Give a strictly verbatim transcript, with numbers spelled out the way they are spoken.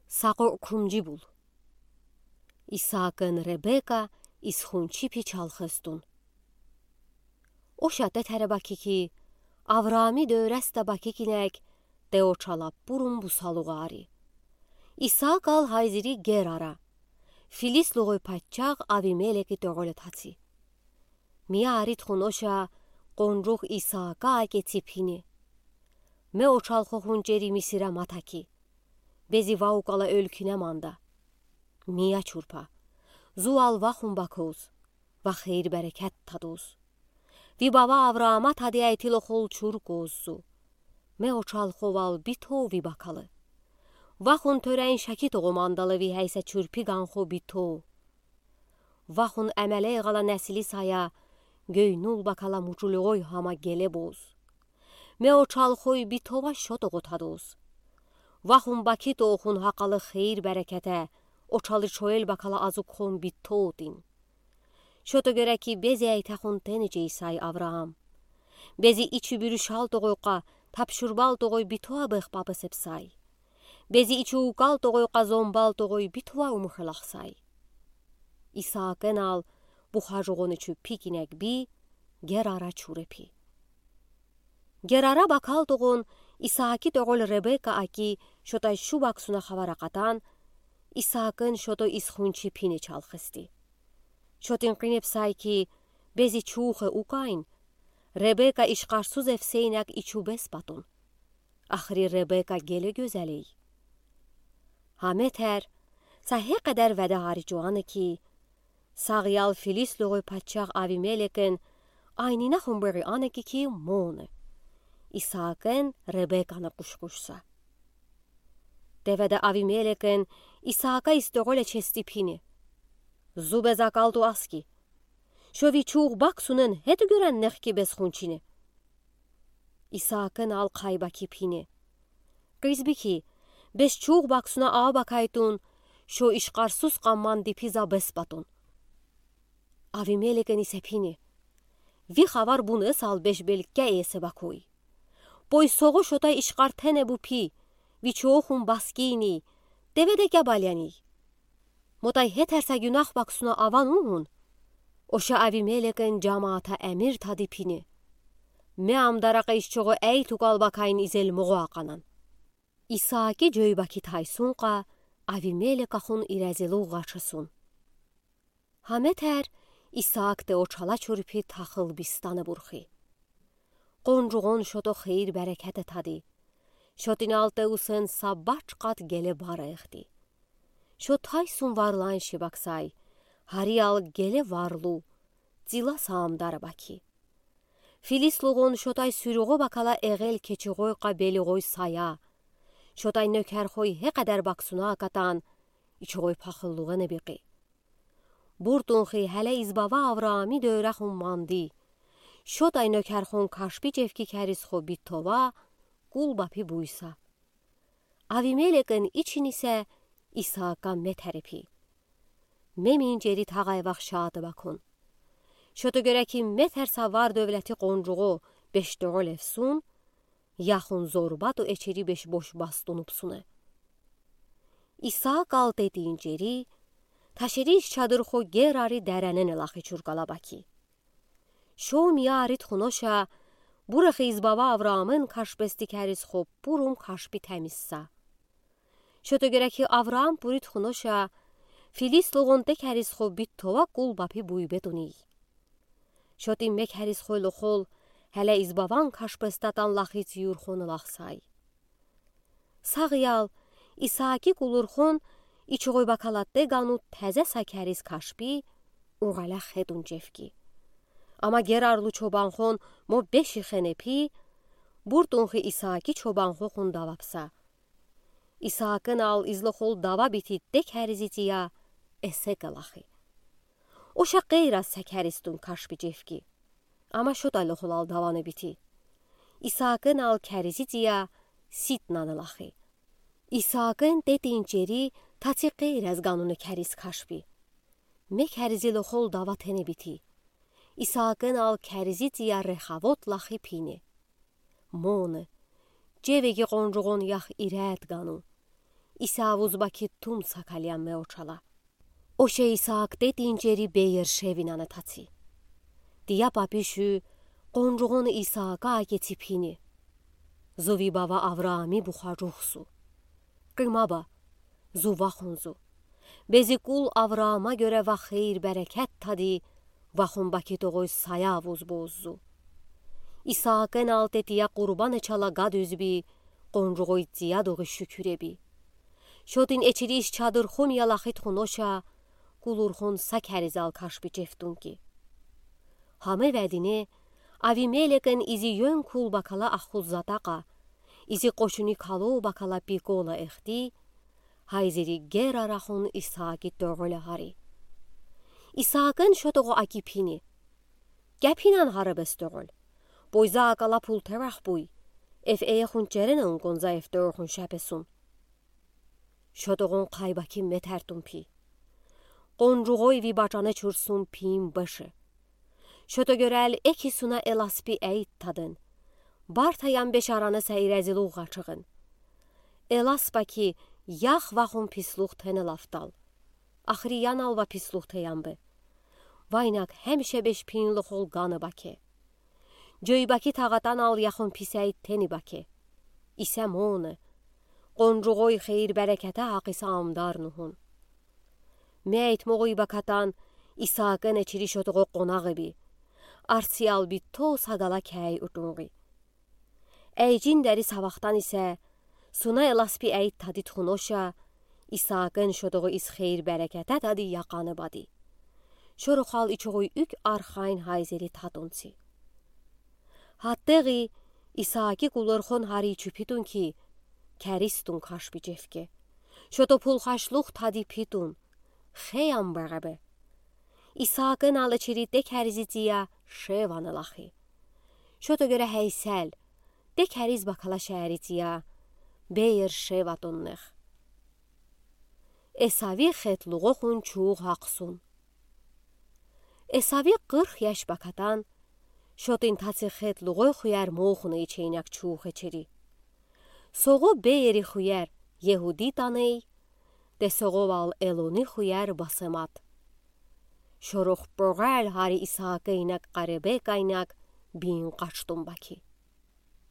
Саго кумжи бул. Исаакын Ребека исхун чипи чалхыстун. Оша тетер баки ки, Авраами дӧресте баки кинек, те очала бурун бусалугъари. Исаак ал гайзири Герара, филистлугой паччах Авимелеки тӧгъоле таци. Мияридхун оша къунжух Исаака акеци пини: Ме очалхохун чери Мисире ма таки. Бези вау кала оьлкине манда. Мия чурпа. Зу ал вахун бакуз, ва хийир-берекет тадуз. Ви бава Авраама тадияй тилохол чуркуз зу. Ме очалхо вал битов ви бакалы. Вахун тӧрен шаки тогъо мандалы ви гьайса чурпи ганхо битов. Вахун эмелей гъала несили сая гёй нул бакала мучулугъой гьама гелебуз. Ме очалхой битова шо тогъо тадуз. Вахун баки тоохун гьакъалы хийир-берекете, очалы шоэл бакала азукхун битов тин. Шо тегере ки бези эйтехун тенечей сай Авраам. Бези ичи буьрюшал тогъойкъа, тапшурбал тогъой битова бехпапесеп сай. Бези ичи укал тогъойкъа, зомбал тогъой битова умухалах сай. Исаакын ал бухажугъони чу пикинек би Герара чурепи. Герара бакал тогъон Исааки тӧгъол Ребека аки шотай шу баксуна хавар акъатан, Исаакын шото исхун чипини чалхысти. Шотин къинеп сай ки, бези чуухэ укайн, Ребека ишкъарсуз эвсэйнек ичубес батун. Ахри Ребека геле гёзелэй. Гьа метэр, са гьекъедэр ведеари чуана ки, сагъ ял филистлугой паччах Авимелекэн айнинахун бери ана ки ки моны. Исаакэн Ребеканы къушкъушса. Теведе Авимелекэн Исаака истеголе чести пини. Зубе закалту аски. Шо ви чух баксунэн гьети гёрен нехки бес хунчини. Исаакэн ал кайбаки пини. Къизбики, бес чух баксуна а бакайтун, шо ишкъарсуз къамман дипи за бес батун. Авимелекэн исе пини. Ви хавар бунэсал беш белкке эсе бакуй. Пой сого шотай ишкъар тене бу пи, ви чуохун баскини, теведе кебалени. Мотай гьетерса гюнах баксуна аван угун. Оша Авимелекэн жамаата эмир тади пини. Ме ам даракъа ишчогъо эй тукал бакайн изел могъу акъанан. Исааки жойбаки тайсункъа, Авимелекахун ирезилугъ гъачасун. Гьа метэр Исаак те очала чурпи тахыл бистана бурхи. Къунжугъун шото хийир-берекете тади. Шотин ал те усэн са бачкъат геле бар эхди. Шо тайсун варлан шибаксай, гьари ал геле варлу, цила саамдар баки. Филистлугъун шотай суьругъо бакала эгел кечигъой къабелигъой сая. Шотай нёкерхой гьекъедер баксуна акатан, ичугъой пахыллугъа небикъи. Буртунхи гьеле из бава Авраами дӧрахун манди. Шотай нёкерхун кашпи жефки керисхо битова, кул бапи буйса. Авимелекэн ичини се Исаака метэр пи. Мемин жери тагъай вахшата бакун. Шото гёре ки метэр са вар-дёвлети къунжугъо беш дёгъел эфсун, яхун зорбату эчери беш бош бастунупсуне. Исаак ал тетин жери, ташери иш чадырхо Герари деренэн элахи чуркала баки. Шо миярид хуноша, бурахи из бава Авраамэн кашпести керисхо пурум кашпи темизса. Шото гёре ки Авраам пурид хуноша, филистлугъун те керисхо битова кул бапи буйбетуний. Шотин ме керисхой лохол, гьеле из баван кашпестатан лахи цыюрхон элахсай. Сагъ ял, Исааки кулурхон, ичугъой бакала те гану тезе са керис кашпи, угъалях хетун жефки. Ама Герарлу чобанхон мо беши хенепи, буртунхи Исааки чобанхохун давапса. Исаакэн ал из лохол дава бити те керизи цыя эсек элахи. Оша къейраз са керистун кашпи жефки. Ама шотай лохолал даване бити. Исаакэн ал керизи цыя ситнан элахи. Исаакэн тетин жери таци къейраз гануне керис кашпи. Ме керизи лохол дава тене бити. Исаакэн ал керизи цыя Рехавот лахи пини. Моны, жевеги къунжугъун ях ирет гану. Исавуз бакит тум сакалиян мео чала. Оше Исаак тетин чери Беер-Шевинаны таци. Тия папи шу къонжугъон Исаака акеци пини: Зу ви бава Авраами бухажух зу. Кыйма ба, зу вахун зу. Бези кул Авраама гёре ва хейир-берекет тади, вахун бакит огъуз сая авуз боз зу. Исаак энал тетия къурбан ичала гад үзби, къонжугъой цияд огъуз шукюр эби. Шотин эчириз чадырхун ялахи тухуноша, кулурхун са керизал кашби чефтун ки. Гьам эведине Авимелекен изи Йёнкул бакала ахул Затакъа, изи Къошуни Кало бакала Пикола эхти, гьайзери Герар ахун Исааки тёгъёл гьари. Исаакен шотогъо аки пини: Кепинан гьарабез тёгъёл. Бойза акала пул тевах буй. Эф эехун черене унгонза эф тёгъёхун шепесун. Шотогъон къайбаки метертун пи. Къонжугъой ви бачане чурсун пиим бышы. Шото гёрел эки суна эласпи эйт тадын. Барта янбе шараны сайрезилугъа чыгъын. Эласпа ки, ях вахун пислух тенел афтал. Ахри янал ва пислух теянбы. Вайнаг гьемше беш пиин лохол ганы баке. Жойбаки тагъатанал яхун писей тени баке. Исе моны. Къонжугъой хейир-берекете гьакъиса амдар нугьун. Мейт могъуй бакатан Исаакен эчири шотогъо къонагъ эби. Арциял би то сагала кей утунгъи. Эйжин дери савахтан исе, суна эласпи эйт тади тухуноша, Исаакен шотогъо из хейир-берекете тади якъаны бади. Шорохал ичогъуй уьк архайн гьайзери татунци. Гьаттегъи Исааки кулурхун гьари чупитун ки, керистун кашби чефке. Шото пулхашлух тади питун. Хеям бегъебе. Исаакен алачири те керизи тия Шеваны лахи. Шото гёре гьейсел, те кериз бакала шери тия Беер-Шева туннех. Эсави хетлугъохун чуугъ гьахъсун. Эсави къырх яш бакатан, шотин таци хетлугъой хуер мохуна ичейнек чуугъ эчери. Согъу Беери хуер Егуди таней, те согъувал Элони хуер Басемат. Шорох погъел гьари Исаака инек къаребе кайнек бин къачтун баки.